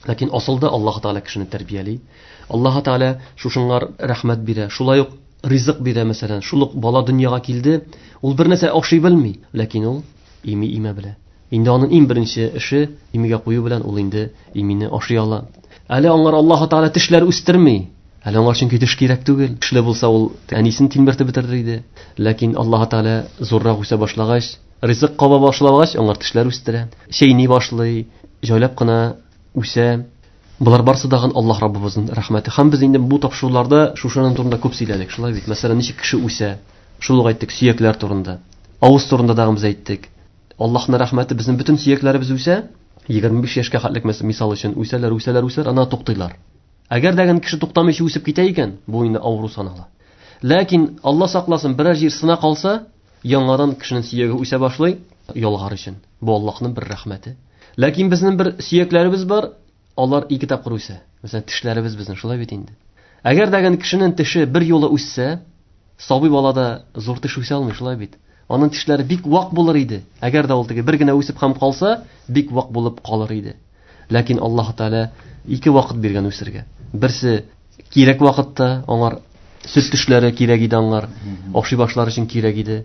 [SPEAKER 1] Ләкин асылда Аллаһ Тәгалә кешене тәрбияли. Аллаһ Тәгалә шушыңар рәхмәт бирә. Шулай ук ризык бирә, мәсәлән. Шул ук бала дөньяга килде, ул бер нәрсә ашый белми, ләкин ул ими имә белә. Инде аның иң беренче эше имигә кую белән ул инде имине ашый ала. Әле аңар Аллаһ Тәгалә тешләр үстерми. Әле аңар чөнки теш кирәк түгел. Тешле булса ул әнисен тилмертеп бетерер иде. Ләкин Аллаһ Тәгалә зуррак үсә башлагач, ризык каба башлагач, аңар тешләр үстерә. Чәйни башлый, җайлап кына үсә. Болар барсы дагын Аллаһ Раббыбызның рәхмәте. Һәм без инде бу тапшыруларда шушының турында күп сөйләдек. Шулай бит. Мәсәлән, ничек кеше үсә? Шул ук әйттек сөякләр турында. Авыз турында дагы без әйттек. Аллаһның рәхмәте, безнең бөтен сөякләребез үсә. егерме биш яшькә хәтлек мисал өчен үсәләр, үсәләр, үсәләр, ана туктыйлар. Әгәр дә кеше туктамыйча үсеп китә икән, бу инде авыру санала. Ләкин Алла сакласын, берәр җир сына калса, яңадан кешенең сөяге үсә башлый, ялгар өчен. Бу Аллаһның бер рәхмәте. Ләкин безнең бер сөякләребез бар, алар ике тапкыр үсә. Мәсәлән, тешләребез безнең шулай бит инде. Әгәр дә кешенең теше бер юлы үссә, сабый балада зур теш үсә алмый, шулай бит. Аның тешләре бик вак булыр иде. Әгәр дә ул теге бер генә үсеп һәм калса, бик вак булып калыр иде. Ләкин Аллаһ Тәгалә ике вакыт биргән үсергә. Берсе кирәк вакытта аңар сөт тешләре кирәк иде аңар, ашый башлар өчен кирәк иде.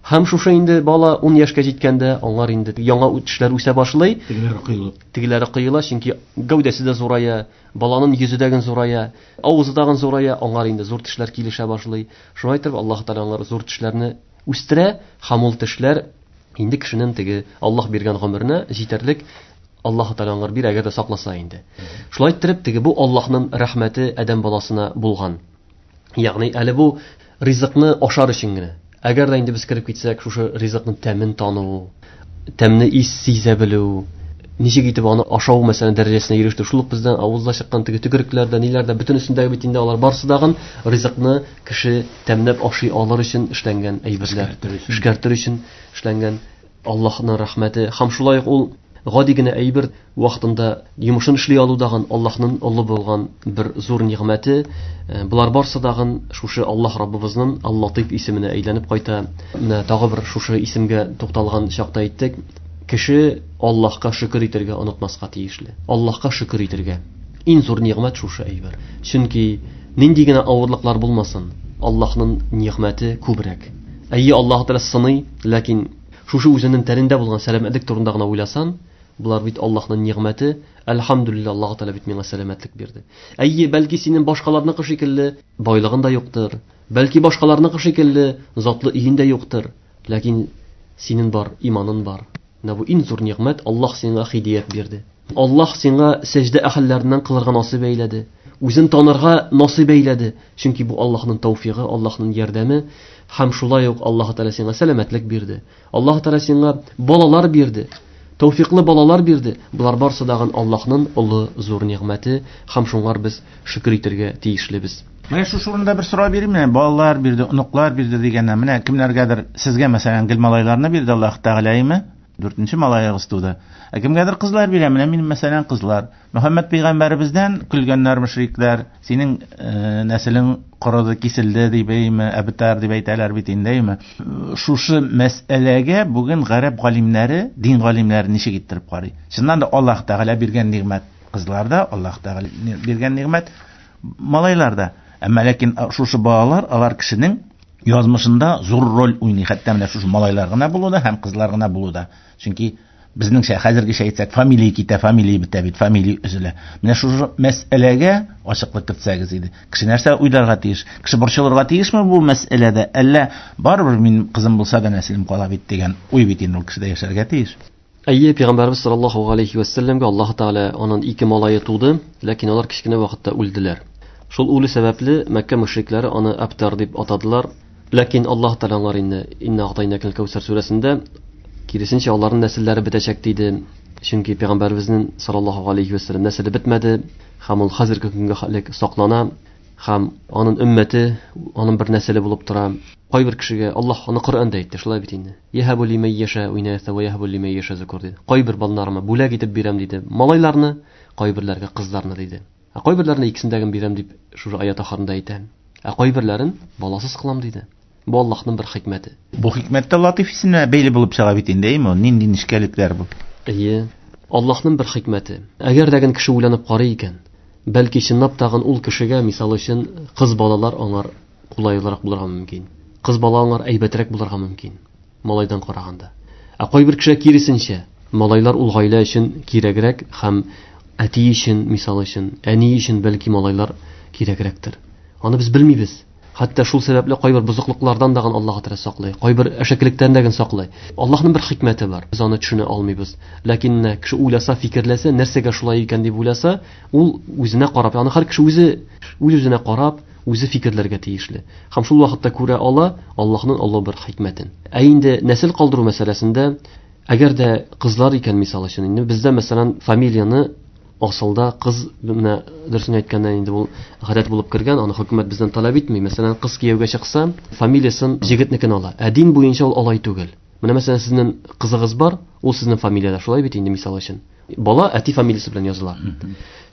[SPEAKER 1] Һәм шушы инде бала ун яшькә җиткәндә аңар инде яңа тешләр үсә башлый.
[SPEAKER 2] Тегеләре коела.
[SPEAKER 1] Тегеләре коела, чөнки гәүдәсе дә зурая, баланың йөзе дә зурая, авызы да зурая, аңар инде зур тешләр килешә башлый. Шулай итеп Аллаһ Тәгалә аңар зур тешләрне үстерә, һәм ул тешләр инде кешенең теге Аллаһ биргән гомеренә җитәрлек Аллаһ Тәгалә аңар бирә, әгәр дә сакласа инде. Шулай иттереп теге бу Аллаһның рәхмәте адәм баласына булган. Ягъни әле бу ризыкны ашар өчен генә. Әгәр дә инде без кереп китсәк, шушы ризыкның тәмен тану, тәмне ис сизә белү, ничек итеп аны ашау мәсәлән дәрәҗәсенә иреште, шул ук бездән авызда чыккан теге төкерекләрдә, ниләрдә, бөтенесендәге бит инде алар барсы дагын ризыкны кеше тәмләп ашый алыр өчен эшләнгән әйберләр, эшкәртер өчен эшләнгән Аллаһның рәхмәте. Һәм шулай ук ул гади генә әйбер вакытында йомышын эшли алу дагын Аллаһның олы булган бер зур нигъмәте. Болар барсы дагын шушы Аллаһ Раббыбызның Аллатыйф исеменә әйләнеп кайта. Менә тагы бер шушы исемгә тукталган чакта әйттек. Кеше Аллаһка шөкер итәргә онытмаска тиешле. Аллаһка шөкер итәргә. Иң зур нигъмәт шушы әйбер. Чөнки нинди генә авырлыклар булмасын, Аллаһның нигъмәте күбрәк. Әйе, Аллаһ Тәгалә сыный, ләкин шушы үзенең тәнендә булган сәламәтлек турында гына уйласан, болар бит Аллаһның нигъмәте. Әлхәмдүлилләһ, Аллаһ Тәгалә бит миңа сәламәтлек бирде. Әйе, бәлки синең башкаларныкы шикелле байлыгың да юктыр, бәлки башкаларныкы шикелле затлы өең дә юктыр, ләкин синең бар, иманың бар. Менә бу иң зур нигъмәт, Аллаһ сиңа һидият бирде. Аллаһ сиңа сәҗдә әһелләреннән кылырга насыйп әйләде. Үзен танырга насыйп әйләде. Чөнки бу Аллаһның тәүфигы, Аллаһның ярдәме. Һәм шулай ук Аллаһ Тәгалә сиңа сәламәтлек бирде. Аллаһ Тәгалә сиңа балалар бирде. Тәүфиклы балалар бирде. Болар барсы дагын Аллаһның олы зур нигъмәте, һәм шуңар без шөкер итәргә тиешлебез.
[SPEAKER 2] Менә шушы урында бер сорау бирим, менә балалар бирде, оныклар бирде дигәннән, менә кемнәргәдер сезгә мәсәлән гел малайларны бирде Аллаһ Тәгаләме? Дүртенче малаегыз туды. Ә кемгәдер кызлар бирә, менә минем мәсәлән кызлар. Мөхәммәд пәйгамбәребездән көлгәннәр мөшрикләр, синең э, нәселең корыды, киселде дип әйме, әбтар дип әйтәләр бит инде, әйме. Шушы мәсьәләгә бүген гарәп галимнәре, дин галимнәре ничек иттереп карый? Чыннан да Аллаһ Тәгалә биргән нигъмәт кызларда, Аллаһ Тәгалә биргән нигъмәт малайларда. Әмма ләкин шушы балалар, алар кешенең язмышында зур роль уйный, хәтта менә шушы малайлар гына булуда һәм кызлар гына булуда. Чөнки безнеңчә хәзергечә әйтсәк, фамилия китә, фамилия бетә бит, фамилия өзелә. Менә шушы мәсьәләгә ачыклык кертсәгез иде. Кеше нәрсә уйларга тиеш? Кеше борчылырга тиешме бу мәсьәләдә? Әллә барыбер мин кызым булса да нәселем кала бит дигән уй бит инде ул кешедә яшәргә тиеш.
[SPEAKER 1] Әйе, Пәйгамбәрбез саллаллаһу алейхи ва сәлләмгә Аллаһ Тәгалә аның ике малае туды, ләкин алар кечкенә вакытта үлделәр. Шул үле сәбәпле Мәккә мөшрикләре аны Әбтар дип атадылар. Ләкин Аллаһ Тәгалә алар инде Инна ағтайнакал Кәүсәр сүрәсендә киресенчә аларның нәселләре бетәчәк диде. Чөнки Пәйгамбәребезнең саллаллаһу алейхи ва сәлләм нәселе бетмәде, һәм ул хәзерге көнгә хәтлек саклана, һәм аның өммәте, аның бер нәселе булып тора. Кайбер кешегә Аллаһ аны Коръәндә әйтте, шулай бит инде. Яһабу лимән яша инаса ва яһабу лимән яша зукур диде. Кайбер балаларыма бүләк итеп бирәм диде. Малайларны, кайберләргә кызларны диде. Ә кайберләренә икесен дә бирәм дип шушы аят ахырында әйтә. Ә кайберләрен баласыз кылам диде. Бу Аллаһның бер хикмәте.
[SPEAKER 2] Бу хикмәт тә латиф исеменә бәйле булып чыга бит инде, әйме? Нинди нечкәлекләр бу?
[SPEAKER 1] Әйе. Аллаһның бер хикмәте. Әгәр дә кеше уйланып карый икән, бәлки чынлап тагын ул кешегә, мисал өчен, кыз балалар аңар кулайлырак булырга мөмкин. Кыз бала аңар әйбәтрәк булырга мөмкин, малайдан караганда. Ә кайбер кешегә киресенчә, малайлар ул гаилә өчен кирәгрәк һәм әти өчен, мисал өчен, әни өчен бәлки малайлар кирәгрәктер. Аны без белмибез. Хәтта шул сәбәпле кайбер бозыклыклардан дагын Аллаһ Тәгалә саклый, кайбер әшәкелектән дә саклый. Аллаһның бер хикмәте бар. Без аны төшенә алмыйбыз. Ләкин кеше уйласа, фикерләсә, нәрсәгә шулай икән дип уйласа, ул үзенә карап, аны һәр кеше үзе үз-үзенә карап, үзе фикерләргә тиешле. Һәм шул вакытта күрә ала Аллаһның олы бер хикмәтен. Ә инде нәсел калдыру мәсьәләсендә, әгәр дә кызлар икән, мисал өчен, инде бездә мәсәлән фамилияне асылда кыз, менә дөресен әйткәндә инде ул гадәт булып кергән, аны хөкүмәт бездән таләп итми. Мәсәлән, кыз кияүгә чыкса, фамилиясын җегетнекен ала. Ә дин буенча ул алай түгел. Менә мәсәлән, сезнең кызыгыз бар, ул сезнең фамилиядә, шулай бит инде, мисал өчен. Бала әти фамилиясе белән языла.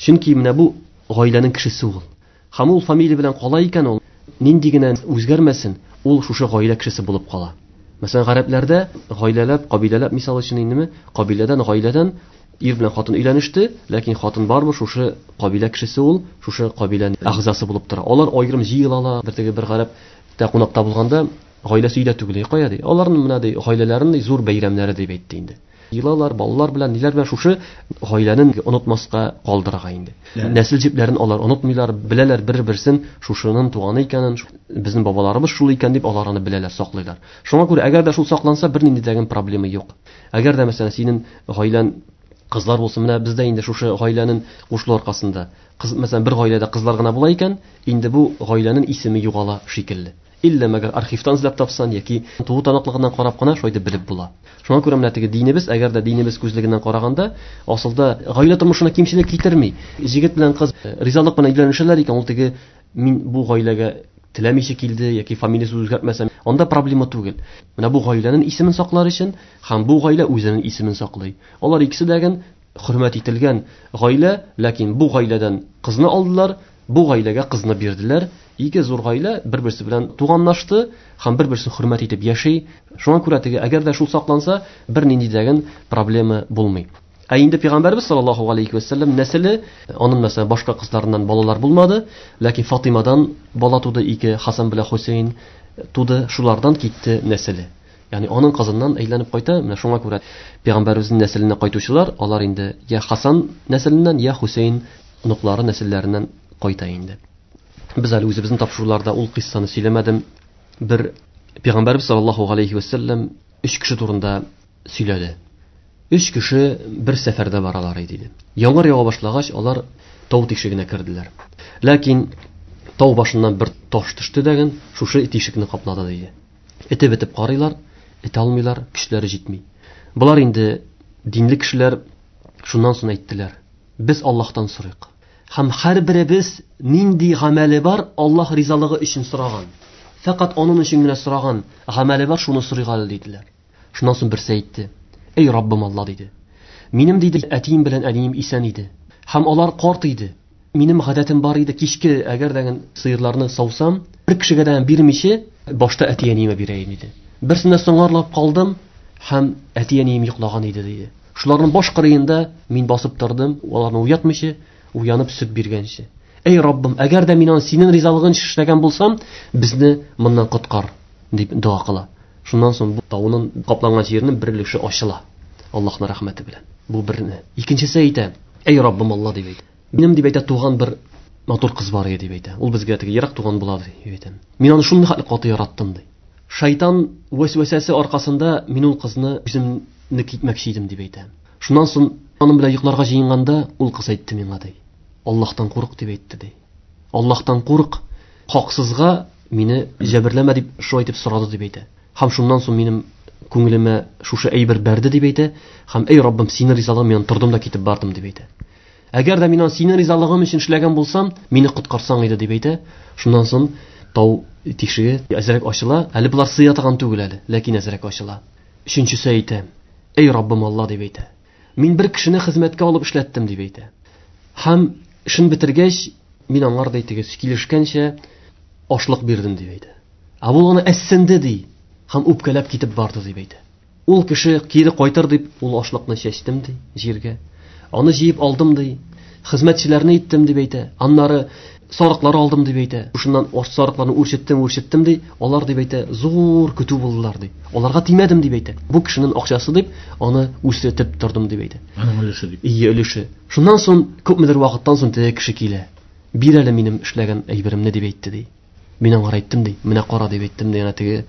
[SPEAKER 1] Чөнки менә бу гаиләнең кешесе ул. Һәм ул фамилия белән кала икән, ул нинди генә үзгәрмәсен, ул шушы гаилә кешесе булып кала. Мәсәлән, гарәпләрдә гаиләләп, кабиләләп, мисал өчен индеме, кабиләдән, гаиләдән ир белән хатын өйләнеште, ләкин хатын барбы шушы кабилә кешесе ул, шушы кабиләнең әгъзасы булып тора. Алар аерым җыелалар. Бер теге бер гарәптә кунакта булганда, гаиләсе өйдә түгел, кая ди. Аларның менә ди гаиләләренең зур бәйрәмнәре дип әйтте инде. Йылалар, балалар белән, ниләр белән шушы гаиләнең онытмаска калдырырга инде. Нәсел җепләрен алар онытмыйлар, беләләр бер-берсен, шушының туганы икәнен, безнең бабаларыбыз шул икән дип алар аны беләләр, саклыйлар. Шуңа күрә әгәр дә шул сакланса, бернинди дә проблема юк. Әгәр дә мәсәлән синең гаиләң кызлар булсын, менә бездә инде шушы гаиләнең кушылу аркасында, кыз, мәсәлән, бер гаиләдә кызлар гына була икән, инде бу гаиләнең исеме югала шикелле. Иллә мәгәр архивтан эзләп тапсан яки туу таныклыгыннан карап кына шулай дип белеп була. Шуңа күрә менә теге динебез, әгәр дә динебез күзлегеннән караганда, асылда гаилә тормышына кимчелек китерми. Җегет белән кыз ризалык белән өйләнешәләр икән, ул теге мин бу гаиләгә теләмичә килде яки фамилиясын үзгәртмәсәм, анда проблема түгел. Менә бу гаиләнең исемен саклар өчен һәм бу гаилә үзенең исемен саклый. Алар икесе дә хөрмәт ителгән гаилә, ләкин бу гаиләдән кызны алдылар, бу гаиләгә кызны бирделәр. Ике зур гаилә бер-берсе белән туганлашты һәм бер-берсен хөрмәт итеп яши. Шуңа күрә теге әгәр дә шул сакланса, бернинди дә проблема булмый. Ә инде Пәйгамбәрбез саллаллаһу алейхи ва сәлләм нәселе, аның мәсәлән башка кызларыннан балалар булмады, ләкин Фатимадан бала туды, ике Хасан белән Хусейн туды, шулардан китте нәселе. Ягъни аның кызыннан әйләнеп кайта. Менә шуңа күрә Пәйгамбәребезнең нәселенә кайтучылар, алар инде я Хасан нәселеннән, я Хусейн оныклары нәселләреннән кайта инде. Без әле үзебезнең тапшыруларда ул кыйссаны сөйләмәдем. Бер Пәйгамбәрбез саллаллаһу алейхи ва сәлләм өч кеше турында сөйләде. Өч кеше бер сәфәрдә баралар иде. Яңгыр ява башлагач, алар тау тишегенә керделәр. Ләкин тау башыннан бер таш төште дәген, шушы тишекне каплады диде. Этеп бетеп карыйлар, эте алмыйлар, көчләре җитми. Болар инде динле кешеләр, шуннан соң әйттеләр: "Без Аллаһтан сорыйк. Һәм һәрберебез нинди гамәле бар, Аллаһ ризалыгы өчен сораган. Фәкать аның өчен генә сораган гамәле бар, шуны сорыйк әле", диделәр. Шуннан соң берсе әйтте: "Эй Раббым Алла", диде. "Минем, диде, әтием белән әнием исән иде. Һәм алар карт иде. Минем гадәтем бар иде, кичке әгәр дә сыерларны саусам, бер кешегә дә бирмичә, башта әти-әниемә бирәем", диде. "Берсенә соңарлап калдым, һәм әти-әнием йоклаган иде", диде. "Шуларның баш кырыенда мин басып тордым, аларны уятмыйча, уянып сөт биргәнче. Эй Раббым, әгәр дә мин аны синең ризалыгың өчен эшләгән булсам, безне моннан коткар", дип дога кыла. Шуннан соң бу тауның капланган җиренең бер өлеше ачыла Аллаһның рәхмәте белән. Бу берне. Икенчесе әйтә: "Эй Раббым Алла", дип әйтә. "Минем, дип әйтә, туган бер матур кыз бар иде", дип әйтә. "Ул безгә теге ерак туган була", дип әйтә. "Мин аны шундый хәтле каты яраттым", ди. "Шайтан вәсвәсәсе аркасында мин ул кызны үземне китмәкче идем", дип әйтә. Шуннан соң аның белән йокларга җыенганда ул кыз әйтте миңа, ди. "Аллаһтан курык", дип әйтте, ди. "Аллаһтан курык, хаксызга мине җәберләмә", дип шулай итеп сорады, дип әйтә. Һәм шуннан соң минем күңелемә шушы әйбер бәрде, дип әйтә. Һәм эй Раббым, синең ризалыгың мин тордым да китеп бардым, дип әйтә. Әгәр дә мин аны синең ризалыгың өчен эшләгән булсам, мине коткарсаң иде, дип әйтә. Шуннан соң тау тишеге әзрәк ачыла. Әле болар сыя торган түгел әле, ләкин әзрәк ачыла. Өченчесе әйтә: "Эй Раббым Алла", дип әйтә. "Мин бер кешене хезмәткә алып эшләттем", дип әйтә. Һәм Эшен бетергәч, мин аңар ди теге килешкәнчә ашлык бирдем дип әйтә. Ә ул аны әссенде ди һәм үпкәләп китеп барды дип әйтә. Ул кеше кире кайтыр дип, ул ашлыкны чәчтем ди җиргә. Аны җыеп алдым ди. Хезмәтчеләрне иттем дип әйтә. Аннары сарыклар алдым дип әйтә. Шуннан сарыкларны үрчеттем, үрчеттем ди. Алар дип әйтә, зур көтү булдылар ди. Аларга тимәдем дип әйтә. Бу кешенең акчасы дип, аны үрчетеп тордым дип әйтә.
[SPEAKER 2] Аның өлеше дип.
[SPEAKER 1] Ие, өлеше. Шуннан соң күпмедер вакыттан соң теге кеше килә. Бир әле минем эшләгән әйберемне дип әйтте ди. Мин аңа әйттем ди. Менә кара дип әйттем ди. Әнә теге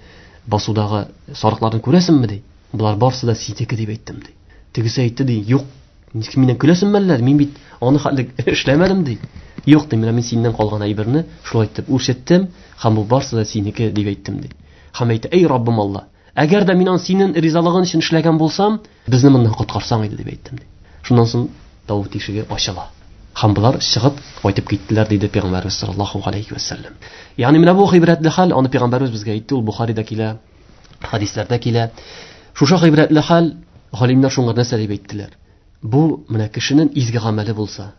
[SPEAKER 1] басудагы сарыкларны күрәсеңме ди. Болар барсы да синеке дип әйттем ди. Тегесе әйтте ди, юк, ничек миннән көләсеңме әллә? Мин бит аны хәтле эшләмәдем ди. Юк ди, менә мин синнән калган әйберне шулай итеп үрчеттем һәм бу барсы да синеке дип әйттем ди. Һәм әйтте, эй Раббым Алла, әгәр дә мин аны синең ризалыгың өчен эшләгән булсам, безне моннан коткарсаң иде дип әйттем ди. Шуннан соң тау тишеге ачыла. Һәм болар чыгып кайтып киттеләр диде Пәйгамбәрбез саллаллаһу алейхи ва саллям. Ягъни менә бу гыйбрәтле хәл, аны Пәйгамбәрбез безгә әйтте, ул Бухарида килә, хәдисләрдә килә. Шушы гыйбрәтле хәл, галимнәр шуңа нәрсә дип әйттеләр? Бу менә кешенең изге гамәле булса,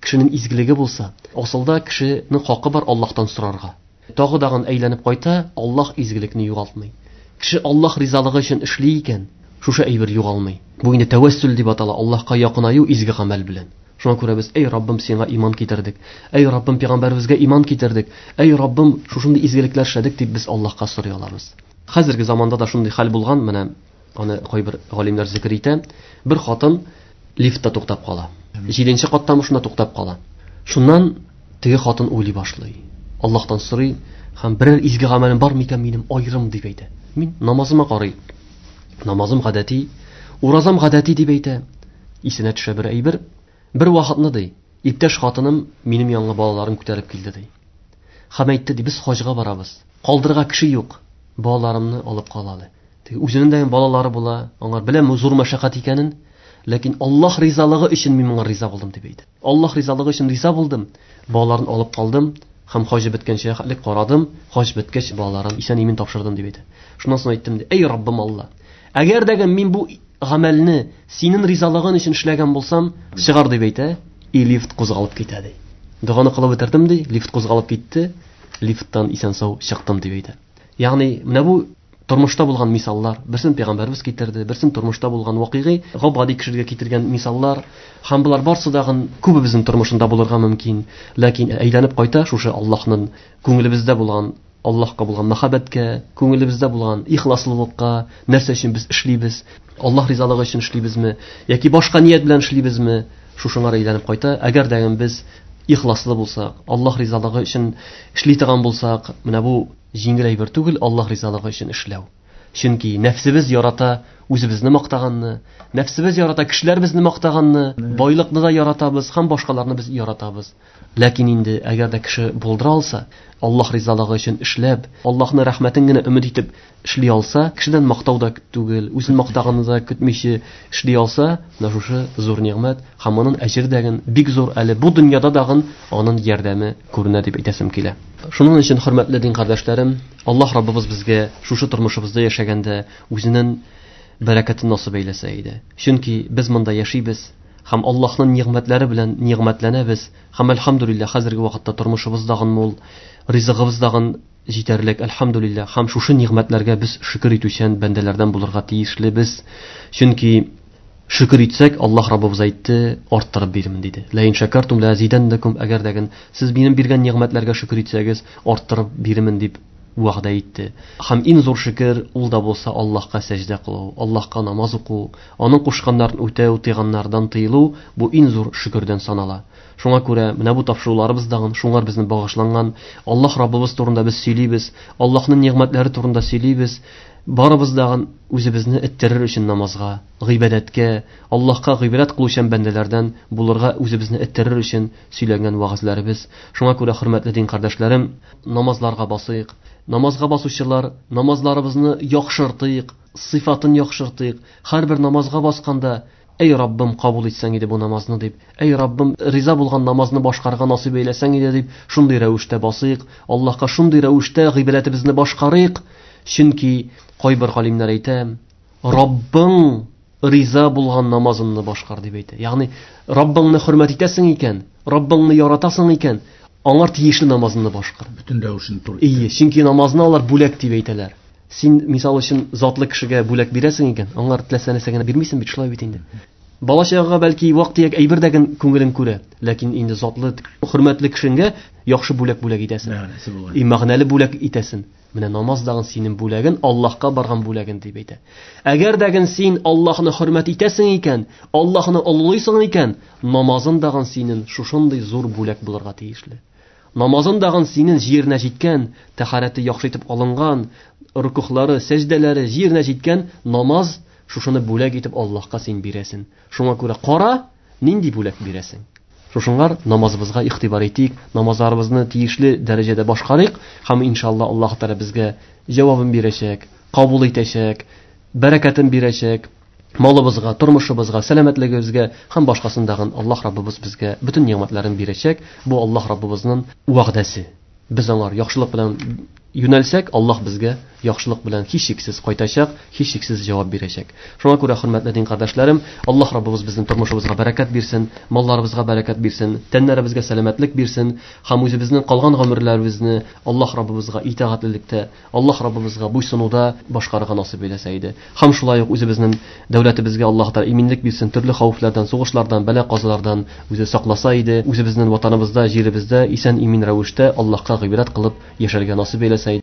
[SPEAKER 1] кешенең изгелеге булса, асылда кешенең хакы бар Аллаһтан сорарга. Тагы дагын әйләнеп кайта, Аллаһ изгелекне югалтмый. Кеше Аллаһ ризалыгы өчен эшли икән, шушы әйбер югалмый. Бу инде тәвәссүл дип атала, Аллаһка якынаю изге гамәл белән. Шуңа күрә без, эй Раббым, сиңа иман китердек. Эй Раббым, пәйгамбәребезгә иман китердек. Эй Раббым, шушындый изгелекләр эшләдек дип без Аллаһка сорый алабыз. Хәзерге заманда да шундый хәл булган, менә аны кайбер галимнәр зикер итә. Бер хатын лифтта туктап кала. Җиденче каттан шунда туктап кала. Шуннан теге хатын уйлый башлый. Аллаһтан сорый, һәм берәр изге гамәлем бар микән минем аерым дип әйтә. Мин намазыма карый. Намазым гадәти, уразам гадәти дип әйтә. Исенә төшә бер әйбер. Бер вакытны ди, иптәш хатыным минем янга балаларын күтәреп килде ди. Һәм әйтте ди, без хаҗга барабыз. Калдырга кеше юк. Балаларымны алып калалы. Теге үзенең дә балалары була, аңар беләм зур мәшәкать икәнен, ләкин Аллаһ ризалыгы өчен мин моңа риза булдым дип әйтте. Аллаһ ризалыгы өчен риза булдым. Балаларын алып калдым һәм хаҗ беткәнчә хәтлек карадым. Хаҗ беткәч балаларын исән-имин тапшырдым дип әйтте. Шуннан соң әйттем ди, эй Раббым Алла, әгәр дә мин бу гамәлне синең ризалыгың өчен эшләгән булсам, чыгар дип әйтә, и лифт кузгалып китә ди. Доганы кылып бетердем ди, лифт кузгалып китте, лифттан исән-сау чыктым дип әйтә. Ягъни менә бу тормышта булган мисаллар, берсен пәйгамбәрбез китерде, берсен тормышта булган вакыйгы, гап-гади кешеләргә китергән мисаллар, һәм болар барсы дагын күбебезнең тормышында булырга мөмкин. Ләкин әйләнеп кайта шушы Аллаһның күңелебездә булган, Аллаһка булган мәхәббәткә, күңелебездә булган ихласлылыкка, нәрсә өчен без эшлибез, Аллаһ ризалыгы өчен эшлибезме, яки башка ният белән эшлибезме, шушыңа әйләнеп кайта. Әгәр дә без ихласлы булсак, Аллаһ ризалыгы өчен эшли торган булсак, менә бу җиңел әйбер түгел Аллаһ ризалыгы өчен эшләү. Чөнки нәфсебез ярата үзебезне мактаганны, нәфсебез ярата кешеләр безне мактаганны, байлыкны да яратабыз һәм башкаларны без яратабыз. Ләкин инде әгәр дә кеше булдыра алса, Аллаһ ризалыгы өчен эшләп, Аллаһның рәхмәтен генә өмет итеп эшли алса, кешедән мактау да түгел, үзен мактаганны да көтмичә эшли алса, менә шушы зур нигъмәт һәм аның әҗере дә бик зур, әле бу дөньяда дагын аның ярдәме күренә дип әйтәсем килә. Шуның өчен, хөрмәтле дин кардәшләрем, Аллаһ Раббыбыз безгә шушы тормышыбызда яшәгәндә үзенең бәрәкәтен насыйп әйләсә иде. Чөнки без монда яшибез һәм Аллаһның нигъмәтләре белән нигъмәтләнәбез. Һәм әлхәмдүлилләһ, хәзерге вакытта тормышыбыз дагын мул, ризыгыбыз дагын җитәрлек, әлхәмдүлилләһ. Һәм шушы нигъмәтләргә без шөкер итүчән бәндәләрдән булырга тиешлебез. Чөнки шөкер итсәк, Аллаһ Раббыбыз әйтте, арттырып бирмен диде. Ла ин шакартум ла азиданнакум, әгәр дә сез минем биргән нигъмәтләргә шөкер итсәгез, арттырып бирмен дип вәгъдә итте. Һәм иң зур шөкер ул да булса Аллаһка сәҗдә кылу, Аллаһка намаз уку, аның кушканнарын үтәү, тыйганнардан тыелу, бу иң зур шөкердән санала. Шуңа күрә менә бу тапшыруларыбыз дагын шуңар безне багышланган Аллаһ Раббыбыз турында без сөйлибез, Аллаһның нигъмәтләре турында сөйлибез. Барыбыз дагын үзебезне эттерер өчен намазга, гыйбадәткә, Аллаһка гыйбадәт кылучан бәндәләрдән булырга үзебезне эттерер өчен сөйләнгән вәгазьләребез. Шуңа күрә, хөрмәтле дин кардәшләрем, намазларга басыйк. Намазга басучылар, намазларыбызны яхшыртыйк, сыйфатын яхшыртыйк. Һәрбер намазга басканда, эй Раббым, кабул итсәң иде бу намазны дип, эй Раббым, риза булган намазны башкарырга насыйп әйләсәң иде дип, шундый рәвештә басыйк. Аллаһка шундый рәвештә гыйбадәтебезне башкарыйк. Чөнки кайбер галимнәр әйтә, Раббың риза булган намазыңны башкар дип әйтә. Ягъни Раббыңны хөрмәт итәсең икән, Раббыңны яратасың икән, аңар тиешле намазыңны башкар.
[SPEAKER 2] Бөтен рәвешен туры.
[SPEAKER 1] Ие, чөнки намазны алар бүләк дип әйтәләр. Син мисал өчен затлы кешегә бүләк бирәсең икән, аңар теләсә нәрсә генә бирмисең бит, шулай бит инде. Бала чагага бәлки вак-төяк әйбер дә күңелен күрә, ләкин инде затлы, хөрмәтле кешеңгә яхшы бүләк бүләк итәсең.
[SPEAKER 2] Мәгънәсе булган.
[SPEAKER 1] И мәгънәле бүләк итәсең. Менә намаз дагын синең бүләген, Аллаһка барган бүләген дип әйтә. Әгәр дәген син Аллаһны хөрмәт итәсең икән, Аллаһны олылыйсың икән, намазын дагын синең шушындый зур бүләк булырга тиешле. Намазын дагын синең җиренә җиткән, тәһарәте яхшы итеп алынган, рукухлары, сәҗдәләре җиренә җиткән намаз шушыны бүләк итеп Аллаһка син бирәсең. Шуңа күрә кара, нинди бүләк бирәсең. Шушыңар намазыбызга игътибар итик, намазларыбызны тиешле дәрәҗәдә башкарыйк һәм иншалла Аллаһ Тәгалә безгә җавабын бирәчәк, кабул итәчәк, бәрәкәтен бирәчәк, малыбызга, тормышыбызга, сәламәтлегебезгә һәм башкасын дагын Аллаһ Раббыбыз безгә бөтен нигъмәтләрен бирәчәк. Бу Аллаһ Раббыбызның вәгъдәсе. Без аңар яхшылык белән юнәлсәк, Аллаһ безгә яхшылык белән һичшиксез кайтачак, һичшиксез җавап бирәчәк. Шуңа күрә, хөрмәтле дин кардәшләрем, Аллаһ Раббыбыз безнең тормышыбызга бәрәкәт бирсен, малларыбызга бәрәкәт бирсен, тәннәребезгә сәламәтлек бирсен һәм үзебезнең калган гомерләребезне Аллаһ Раббыбызга итагатьлелектә, Аллаһ Раббыбызга буйсынуда башкарырга насыйп әйләсә иде. Һәм шулай ук үзебезнең дәүләтебезгә Аллаһ Тәгалә иминлек бирсен, төрле хәвефләрдән, сугышлардан, бәла-казалардан үзе сакласа иде. Үзебезнең ватаныбызда, җиребездә исән-имин рәвештә Аллаһка гыйбадәт кылып яшәргә насыйп әйләсә иде.